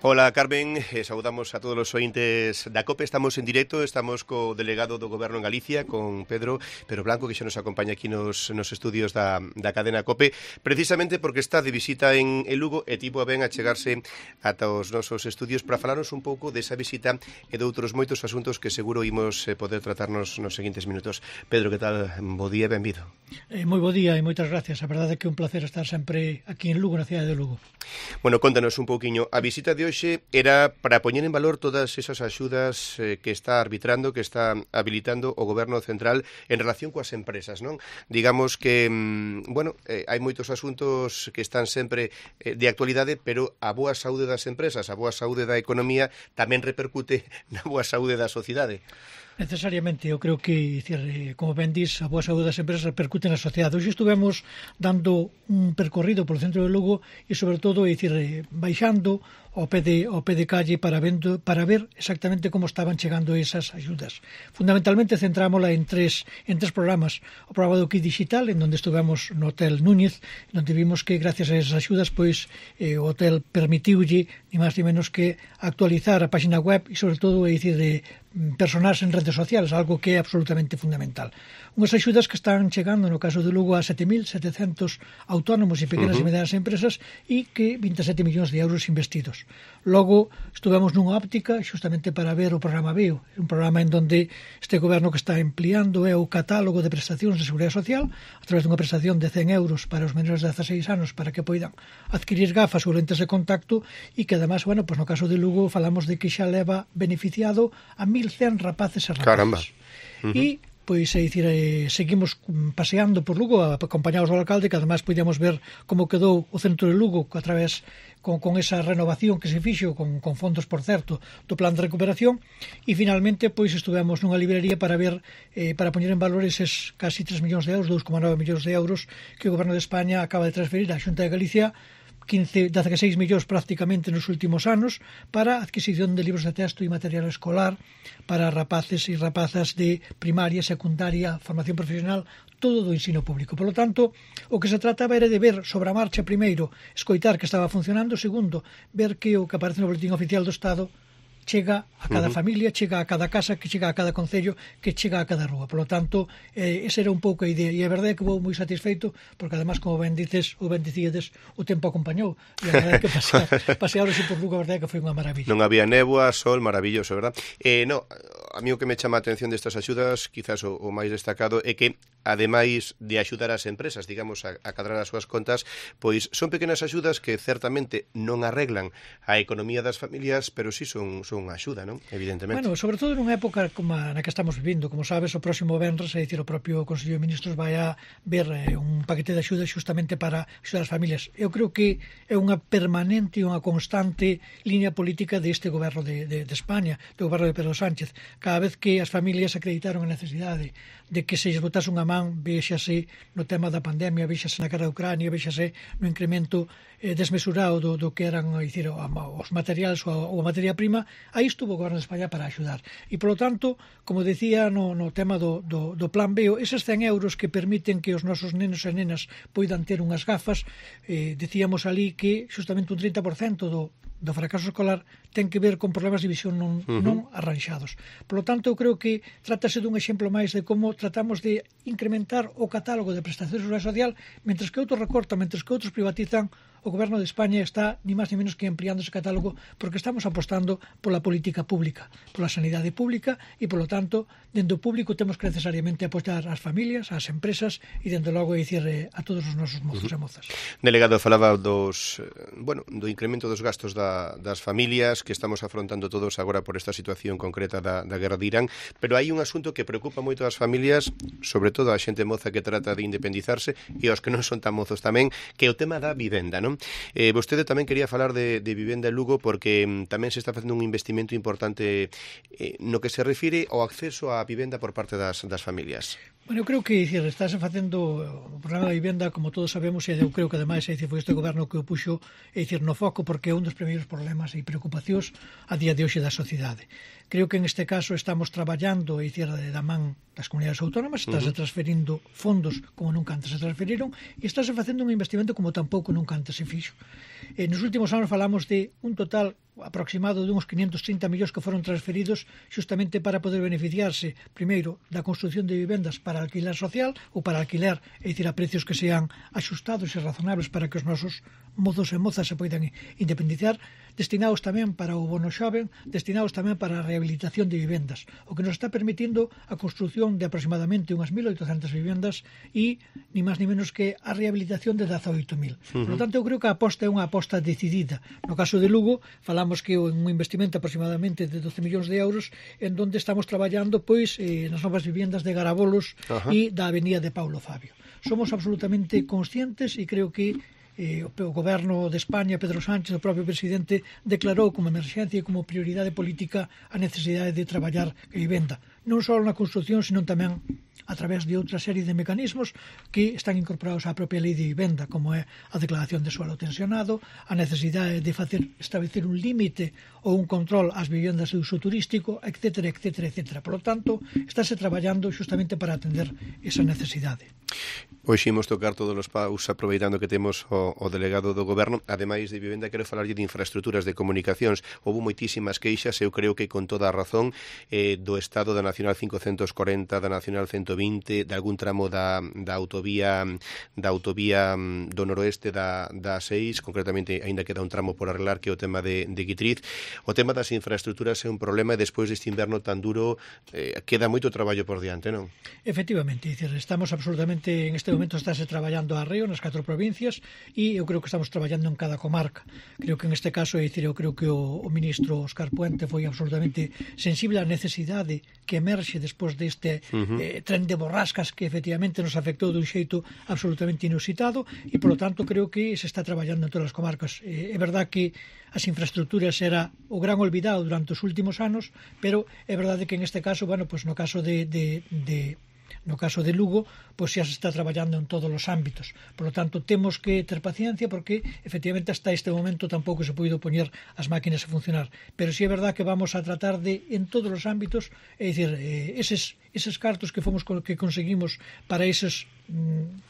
Hola, Carmen, saudamos a todos os ointes da COPE. Estamos en directo, estamos co delegado do Goberno en Galicia, con Pedro Blanco, que xa nos acompaña aquí nos estudios da cadena COPE, precisamente porque está de visita en Lugo e tivo a ben a chegarse ata os nosos estudios para falarnos un pouco desa visita e de outros moitos asuntos que seguro imos poder tratarnos nos seguintes minutos. Pedro, que tal? Bo día, benvido. Moi bo día e moitas gracias. A verdade é que é un placer estar sempre aquí en Lugo, na cidade de Lugo. Bueno, contanos un pouquiño. A visita de hoxe era para poñer en valor todas esas axudas que está arbitrando, que está habilitando o Goberno Central en relación coas empresas, non? Digamos que, hai moitos asuntos que están sempre de actualidade, pero a boa saúde das empresas, a boa saúde da economía tamén repercute na boa saúde da sociedade. Necesariamente, eu creo que, como ben dís, a boa saúde das empresas repercute na sociedade. Hoxe estuvemos dando un percorrido polo centro de Lugo e, sobre todo, baixando ao pé de calle para ver exactamente como estaban chegando esas axudas. Fundamentalmente centrámola en tres programas. O programa do Kit Digital, en donde estuvemos no Hotel Núñez, onde vimos que gracias a esas axudas pois o hotel permitiulle ni máis ni menos que actualizar a página web e sobre todo de personarse en redes sociales, algo que é absolutamente fundamental. Unhas axudas que están chegando no caso de Lugo a 7.700 autónomos e pequenas e medianas empresas e que 27 millóns de euros investidos. Logo, estuvemos nunha óptica xustamente para ver o programa BEO, un programa en donde este goberno que está ampliando é o catálogo de prestacións de seguridade social a través dunha prestación de 100 euros para os menores de 16 anos para que poidan adquirir gafas ou lentes de contacto e que además, no caso de Lugo falamos de que xa leva beneficiado a 1.100 rapaces e rapazas. Caramba. E seguimos paseando por Lugo acompañados do alcalde, que además podíamos ver como quedou o centro de Lugo a través con esa renovación que se fixo con fondos, por certo, do plan de recuperación e finalmente estivemos nunha librería para ver para poñer en valor eses casi 3 millóns de euros, 2,9 millóns de euros que o Goberno de España acaba de transferir á Xunta de Galicia, 16 millóns prácticamente nos últimos anos para a adquisición de libros de texto e material escolar para rapaces e rapazas de primaria, secundaria, formación profesional, todo do ensino público. Por lo tanto, o que se trataba era de ver sobre a marcha, primeiro, escoitar que estaba funcionando, segundo, ver que o que aparece no Boletín Oficial do Estado chega a cada familia, chega a cada casa, que chega a cada concello, que chega a cada rúa. Por lo tanto, esa era un pouco a idea. E a verdade é que vou moi satisfeito, porque además, como ben dices, ou ben dicíades, o tempo acompañou. E a verdade é que pasear así por Lugo, a verdade é que foi unha maravilla. Non había néboa, sol, maravilloso, verdad? A mí o que me chama a atención destas axudas, quizás o máis destacado, é que, ademais de axudar as empresas, digamos, a cadrar as súas contas, pois son pequenas axudas que certamente non arreglan a economía das familias, pero sí son unha axuda, non? Evidentemente. Sobre todo nunha época como na que estamos vivindo, como sabes, o próximo venres, o propio Consello de Ministros vai a ver un paquete de axudas xustamente para axudar as familias. Eu creo que é unha permanente e unha constante línea política deste goberno de España, do goberno de Pedro Sánchez. Cada vez que as familias acreditaron a necesidade de que se lles botase unha man, véxase no tema da pandemia, véxase na guerra de Ucrania, véxase no incremento desmesurado do que eran os materiais ou a materia prima, aí estuvo o Goberno de España para axudar. E, polo tanto, como decía no tema do plan BEO, eses 100 euros que permiten que os nosos nenos e nenas poidan ter unhas gafas, decíamos ali que justamente un 30% do fracaso escolar ten que ver con problemas de visión non arranxados. Por lo tanto, eu creo que trátase dun exemplo máis de como tratamos de incrementar o catálogo de prestacións de seguridade social, mentres que outros recortan, mentres que outros privatizan. O Goberno de España está ni máis ni menos que ampliando ese catálogo porque estamos apostando pola política pública, pola sanidade pública e, polo tanto, dentro do público temos que necesariamente apoiar as familias, as empresas e, dentro logo, a todos os nosos mozos e mozas. Delegado, falaba do incremento dos gastos das familias que estamos afrontando todos agora por esta situación concreta da guerra de Irán, pero hai un asunto que preocupa moito as familias, sobre todo a xente moza que trata de independizarse e aos que non son tan mozos tamén, que é o tema da vivenda, non? Vostede tamén quería falar de vivenda en Lugo porque tamén se está facendo un investimento importante no que se refire ao acceso á vivenda por parte das familias. Eu creo que estáse facendo o programa de vivenda, como todos sabemos, e eu creo que ademais foi este goberno que o puxo no foco porque é un dos primeiros problemas e preocupacións a día de hoxe da sociedade. Creo que en este caso estamos traballando da man das comunidades autónomas, estáse transferindo fondos como nunca antes se transferiron e estáse facendo un investimento como tampouco nunca antes se fixo. Nos últimos anos falamos de un total aproximado de uns 530 millóns que foron transferidos xustamente para poder beneficiarse primeiro da construción de vivendas para alquiler social ou para alquiler, é dicir, a precios que sean axustados e razonables para que os nosos mozos e mozas se poidan independizar, destinados tamén para o bono xoven, destinados tamén para a rehabilitación de vivendas, o que nos está permitindo a construción de aproximadamente unhas 1.800 vivendas e ni máis ni menos que a rehabilitación de 18.000. Por lo tanto, eu creo que a aposta é unha aposta decidida. No caso de Lugo, falamos que en un investimento aproximadamente de 12 millóns de euros en donde estamos traballando pois nas novas vivendas de Garabolos e da avenida de Paulo Fabio. Somos absolutamente conscientes e creo que o goberno de España, Pedro Sánchez, o propio presidente, declarou como emerxencia e como prioridade política a necesidade de traballar a vivenda, non só na construción, sino tamén a través de outra serie de mecanismos que están incorporados á propia lei de vivenda, como é a declaración de suelo tensionado, a necesidade de establecer un límite ou un control ás vivendas de uso turístico, etc., etc., etc. Por lo tanto, estáse traballando xustamente para atender esa necesidade. Hoxe imos tocar todos os paus aproveitando que temos o delegado do goberno. Ademais de vivenda, quero falarlle de infraestructuras de comunicacións. Houve moitísimas queixas, eu creo que con toda a razón, do estado da Nacional 540, da Nacional 120, de algún tramo da autovía do noroeste da 6, concretamente aínda queda un tramo por arreglar, que é o tema de Guitriz. O tema das infraestructuras é un problema e despois deste inverno tan duro queda moito traballo por diante, non? Efectivamente, estamos absolutamente, en este momento estáse traballando a arreo nas 4 provincias e eu creo que estamos traballando en cada comarca. Creo que en este caso, eu creo que o ministro Óscar Puente foi absolutamente sensible á necesidade que emerxe despois deste tren de borrascas que efectivamente nos afectou dun xeito absolutamente inusitado e, polo tanto, creo que se está traballando en todas as comarcas. É verdade que as infraestructuras era o gran olvidado durante os últimos anos, pero é verdade que en este caso, bueno, pues no caso no caso de Lugo, pois xa se está traballando en todos os ámbitos. Por lo tanto, temos que ter paciencia porque, efectivamente, hasta este momento tampouco se podido poñer as máquinas a funcionar. Pero si é verdad que vamos a tratar de, en todos os ámbitos, é dicir, eses cartos que conseguimos para eses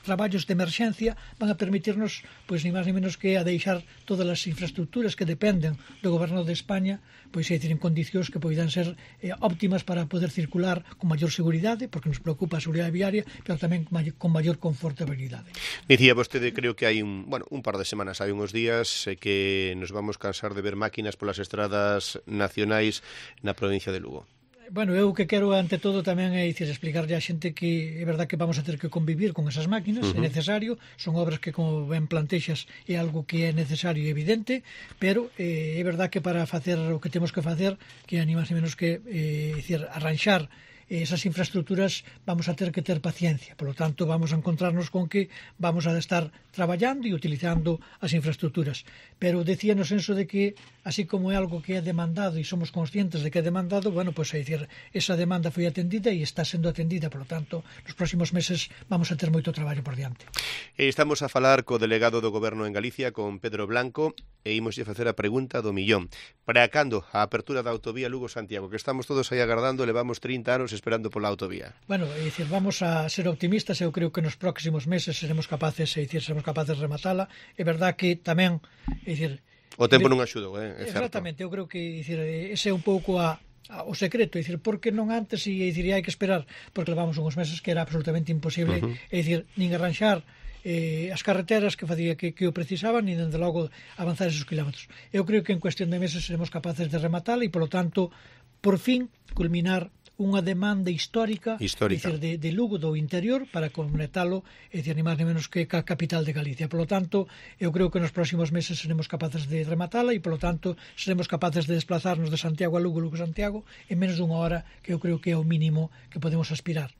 traballos de emerxencia van a permitirnos, pois, ni máis ni menos que a deixar todas as infraestructuras que dependen do goberno de España, pois, é dicir, en condicións que poidan ser óptimas para poder circular con maior seguridade, porque nos preocupa a seguridade viaria, pero tamén con maior confortabilidade. Dicía vostede, creo que hai un par de semanas, hai uns días, que nos vamos cansar de ver máquinas polas estradas nacionais na provincia de Lugo. Bueno, eu que quero ante todo tamén é dicir, explicarlle á xente que é verdad que vamos a ter que convivir con esas máquinas, é necesario, son obras que, como ben plantexas, é algo que é necesario e evidente, pero é verdad que para facer o que temos que facer, que ni máis ni menos que dicir, arranxar esas infraestructuras, vamos a ter que ter paciencia. Por lo tanto, vamos a encontrarnos con que vamos a estar traballando e utilizando as infraestructuras. Pero decía no senso de que, así como é algo que é demandado e somos conscientes de que é demandado, bueno, pues é dicir, esa demanda foi atendida e está sendo atendida. Por lo tanto, nos próximos meses vamos a ter moito traballo por diante. Estamos a falar co delegado do Goberno en Galicia, con Pedro Blanco, e imoslle facer a pregunta do millón. Para cando a apertura da autovía Lugo-Santiago, que estamos todos aí agardando, levamos 30 anos esperando pola autovía? Bueno, é dicir, vamos a ser optimistas, eu creo que nos próximos meses seremos capaces de rematala. É verdad que tamén, é dicir, o tempo non axudou, é certo. Exactamente, eu creo que, é dicir, ese é un pouco o secreto, é dicir, por que non antes, e dicir, hai que esperar, porque levamos uns meses que era absolutamente imposible, é dicir, nin arranxar as carreteras que facía que o precisaban, e dende logo avanzar esos kilómetros. Eu creo que en cuestión de meses seremos capaces de rematala e, polo tanto, por fin culminar unha demanda histórica. Dicir, de Lugo, do interior, para conectalo, é dicir, ni máis ni menos que a capital de Galicia. Por lo tanto, eu creo que nos próximos meses seremos capaces de rematala e, por lo tanto, seremos capaces de desplazarnos de Santiago a Lugo, Lugo-Santiago, en menos dunha hora, que eu creo que é o mínimo que podemos aspirar.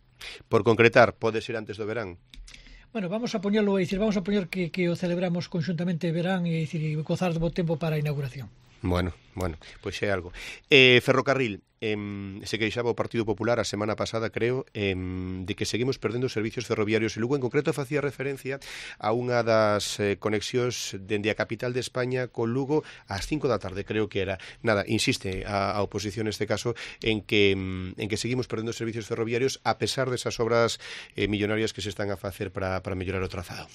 Por concretar, pode ser antes do verán? Bueno, vamos a poñerlo, é dicir, vamos a poñer que o celebramos conxuntamente verán e, dicir, e gozar de bo tempo para a inauguración. Bueno, pois é algo. Ferrocarril, se queixaba o Partido Popular a semana pasada, creo, de que seguimos perdendo servicios ferroviarios, e Lugo en concreto facía referencia a unha das conexións dende a capital de España con Lugo ás 5 da tarde, creo que era. Nada, insiste a oposición neste caso en que seguimos perdendo servicios ferroviarios a pesar desas obras millonarias que se están a facer para mellorar o trazado.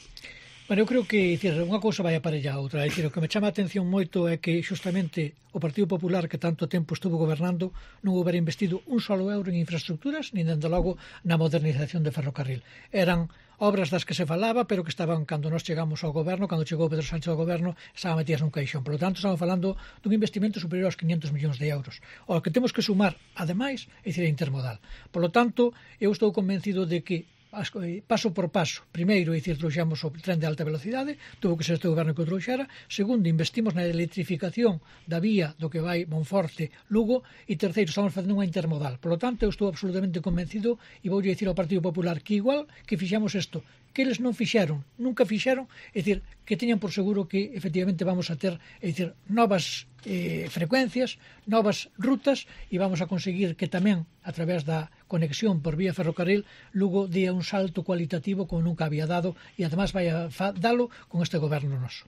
Bueno, eu creo que unha cousa vai aparella a outra. O que me chama a atención moito é que xustamente o Partido Popular, que tanto tempo estuvo gobernando, non houbera investido un solo euro en infraestructuras, nin dende logo na modernización de ferrocarril. Eran obras das que se falaba, pero que estaban, cando nós chegamos ao goberno, cando chegou Pedro Sánchez ao goberno, estaban metidas nun caixón. Por lo tanto, estamos falando dun investimento superior aos 500 millóns de euros. O que temos que sumar, ademais, é a intermodal. Por lo tanto, eu estou convencido de que paso por paso. Primeiro, trouxemos o tren de alta velocidade, tuvo que ser este goberno que o trouxera. Segundo, investimos na electrificación da vía do que vai Monforte-Lugo. E terceiro, estamos facendo unha intermodal. Por lo tanto, eu estou absolutamente convencido e voulle dicir ao Partido Popular que igual que fixemos isto, que eles non fixeron, nunca fixeron, que teñan por seguro que efectivamente vamos a ter, novas frecuencias, novas rutas, e vamos a conseguir que tamén a través da conexión por vía ferrocarril Lugo dé un salto cualitativo como nunca había dado, e además vai a dalo con este goberno noso.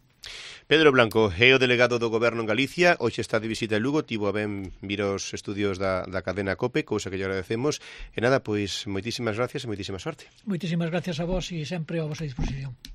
Pedro Blanco é o delegado do Goberno en Galicia, hoxe está de visita en Lugo, tivo a ben vir aos estudios da cadena COPE, cousa que lle agradecemos, e nada, pois moitísimas gracias e moitísima sorte. Moitísimas gracias a vos e sempre a vosa disposición.